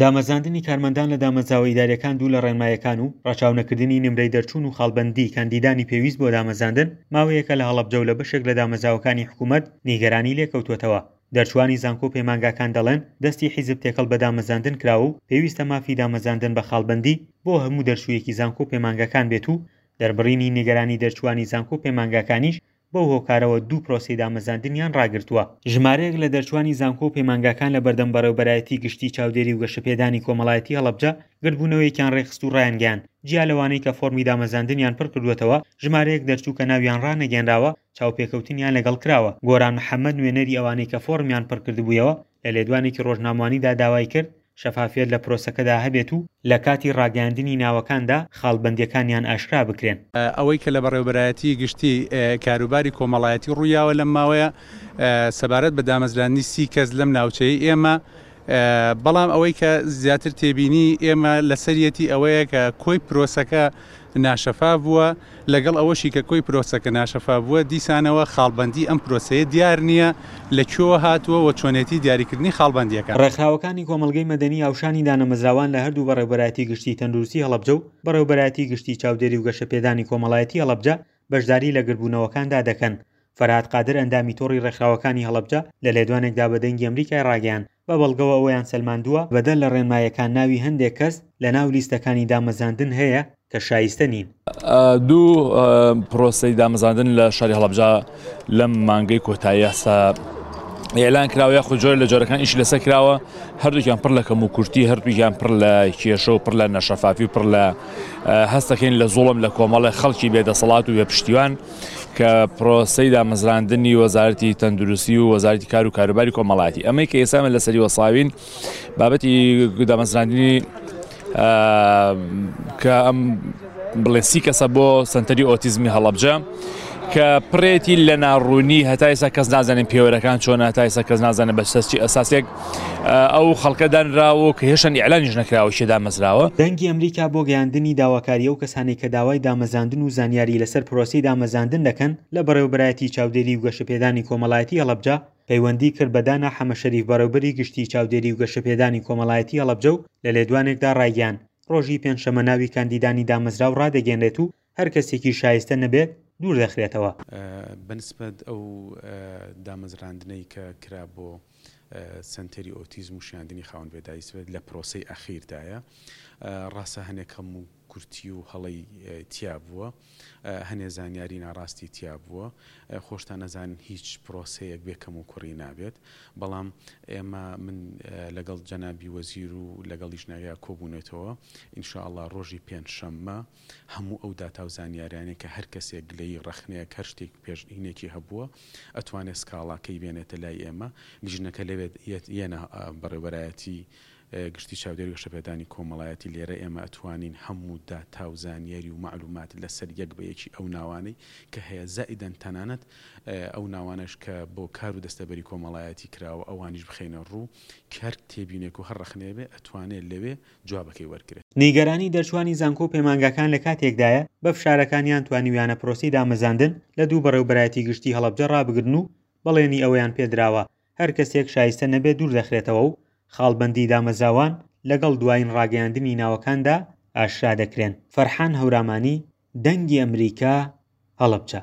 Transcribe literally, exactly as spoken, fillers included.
دامەزراندنی کارمەندان لە دامەزراوە ئیداریەکان دوور لە ڕێنمایەکان و ڕەچاونەکردنی نمرەی دەرچوون و خاڵبەندی کاندیدانی پێویست بۆ دامەزراندن ماوەیەکە لە هەڵەبجە و لە بەشێک لە دامەزراوەکانی حکوومەت نیگەرانی لێکەوتووەتەوە. دەرچوانی زانکۆ و پەیمانگاکان دەڵێن دەستی حیزب تێکەڵ بە دامەزراندن کراوە و پێویستە مافی دامەزراندن بە خاڵبەندی بۆ هەموو دەرچوویەکی زانکۆ و پەیمانگاکان بێت و دەربڕینی نیگەرانی دەرچوانی زانکۆ و پەیمانگاکانیش بەو هۆکارەوە دوو پرۆسەی دامەزراندنیان ڕاگرتووە. ژمارەیەک لە دەرچوانی زانکۆ و پەیمانگاکان لە بەردەم بەڕێوەبەرایەتی گشتی چاودێری و گەشەپێدانی کۆمەڵایەتی هەڵەبجە گردبوونەوەیەکیان ڕێکخست و ڕایانگەیاند جیا لەوانەی کە فۆرمی دامەزراندنیان پڕکردووەتەوە ژمارەیەک دەرچوو کە ناویان ڕانەگەیەنراوە چاوپێکەوتنیان لەگەڵ کراوە. گۆران محەممەد نوێنەری ئەوانەی کە فۆرمیان پڕکردبوویەوە لە لێدوانێکی ڕۆژنامەوانیدا داوای کرد شەفافیەت لە پرۆسەکەدا هەبێت و لە کاتی ڕاگەیاندنی ناوەکاندا خاڵبەندیەکانیان ئاشکرا بکرێن. ئەوەی کە لە بەڕێوەبەرایەتی گشتی کاروباری کۆمەڵایەتی ڕوویاوە لەم ماوەیە سەبارەت بە دامەزراندنی سی کەس لەم ناوچەیە ئێمە، بەڵام ئەوەی کە زیاتر تێبینی ئێمە لەسەریەتی ئەوەیە کە کۆی پرۆسەکە ناشەفاف بووە، لەگەڵ ئەوەشی کە کۆی پرۆسەکە ناشەفاف بووە دیسانەوە خاڵبەندی ئەم پرۆسەیە دیار نییە لە کوێوە هاتووە و چۆنێتی دیاریکردنی خاڵبەندیەکان. ڕێکخراوەکانی کۆمەڵگەی مەدەنی هاوشانی دانەمەزراوان لە هەردوو بەڕێوەبەرایەتی گشتی تەندروستی هەڵەبجە و بەڕێوەبەرایەتی گشتی چاودێری و گەشەپێدانی کۆمەڵایەتی هەڵەبجە بەشداری لە گردبوونەوەکاندا دەکەن. فەرهاد قادر ئەندامی تۆڕی ڕێکخراوەکانی هەڵەبجە لە لێدوانێکدا بە دەنگی ئەمریکای ڕاگەیاند بە بەڵگەوە ئەوەیان سەلماندووە بەدەر لە ڕێنمایەکان ناوی هەندێک کەس لە ناو لیستەکانی دامەزراندن هەیە کە شایستە نین. دوو پرۆسەی دامەزراندن لە شاری هەڵەبجە لەم مانگەی کۆتایی ئێستا ئێلان کراوە یاخود جۆرە لە جۆرەکان ئیشی لەسەر کراوە، هەردووکیان پڕ لە کەم و کورتی، هەردووکیان پڕ لە کێشە و پڕ لە نەشەفافی و پڕ لە هەستەکەین لە زوڵم لە کۆمەڵی خەڵکی بێدەسەڵات و بێپشتیوان کە پرۆسەی دامەزراندنی وەزارەتی تەندروستی و وەزارەتی کار و کاروباری کۆمەڵایەتی. ئەمەی کە ئێستا من لەسەری وەساوین بابەتی دامەزراندنی کە ئەم بڵێ سی کەسە بۆ سەنتەری ئۆتیزمی هەڵەبجە کە پڕێتی لە ناڕوونی، هەتا ئێستا کەس نازانێت پێوەرەکان چۆنە، هەتا ئێستا کەس نازانێت بە چی ئەساسێک ئەو خەڵکە دانراوە کە هێشتا ئیعلانیش نەکراوە کێ دامەزراوە. دەنگی ئەمریکا بۆ گەیاندنی داواکاری ئەو کەسانەی کە داوای دامەزراندن و زانیاری لەسەر پرۆسەی دامەزراندن دەکەن لە بەڕێوەبەرایەتی چاودێری و گەشەپێدانی کۆمەڵایەتی هەڵەبجە پەیوەندی کرد بە دانا حەمەشەریف بەڕێوەبەری گشتی چاودێری و گەشەپێدانی کۆمەڵایەتی هەڵەبجە و لە لێدوانێکدا ڕایگەیاند ڕۆژی پێنجشەممە ناوی کاندیدانی دامەزراو ڕادەگەیەنرێت و هەر کەسێکی شایستە نەبێت دوور دەخرێتەوە. بەنسبەت ئەو دامەزراندنەی کە کرا بۆ سەنتەری ئۆتیزم و شیاندنی خاوەن پێداویستی لە پرۆسەی ئەخیردایە، ڕاستە هەنێک هەموو کورتی و هەڵەی تیا بووە، هەنێ زانیاری ناڕاستی تیا بووە، خۆشتان نەزانن هیچ پرۆسەیەک بێ کەم و کوڕی نابێت، بەڵام ئێمە من لەگەڵ جەنابی وەزیر و لەگەڵ لیژنەکە کۆبوونێتەوە ئینشاءڵڵا ڕۆژی پێنجشەممە هەموو ئەو داتا و زانیاریانەی کە هەر کەسێک گلەیی ڕەخنەیەک هەر شتێک پێشینێکی هەبووە ئەتوانێت سکاڵاکەی بێنێتە لای ئێمە. لیژنەکە لەوێت یەنە بەڕێوەبەرایەتی گشتی چاودێری گەشەپێدانی کۆمەڵایەتی لێرە ئێمە ئەتوانین هەموو داتا و زانیاری و معلومات لەسەر یەک بە یەکی ئەو ناوانەی کە هەیە، زائیدەن تەنانەت ئەو ناوانەش کە بۆ کار و دەستەبەری کۆمەڵایەتی کراوە ئەوانیش بخەینە ڕوو کە هەر تێبینێک و هەر ڕەخنەیە بێ ئەتوانێت لەوێ جوابەکەی وەرگرێت. نیگەرانی دەرچوانی زانکۆ و پەیمانگاکان لە کاتێکدایە بە فشارەکانیان توانیویانە پرۆسەی دامەزراندن لە دوو بەڕێوەبەرایەتی گشتی هەڵەبجە ڕابگرن و بەڵێنی ئەوەیان پێدراوە هەر کەسێک شایستە نەبێت دوور دەخرێتەوە و خاڵبەندی دامەزراوان لەگەڵ دوایین ڕاگەیاندنی ناوەکاندا ئاشکرا دەکرێن. فەرحان هەورامانی، دەنگی ئەمریکا، هەڵەبجە.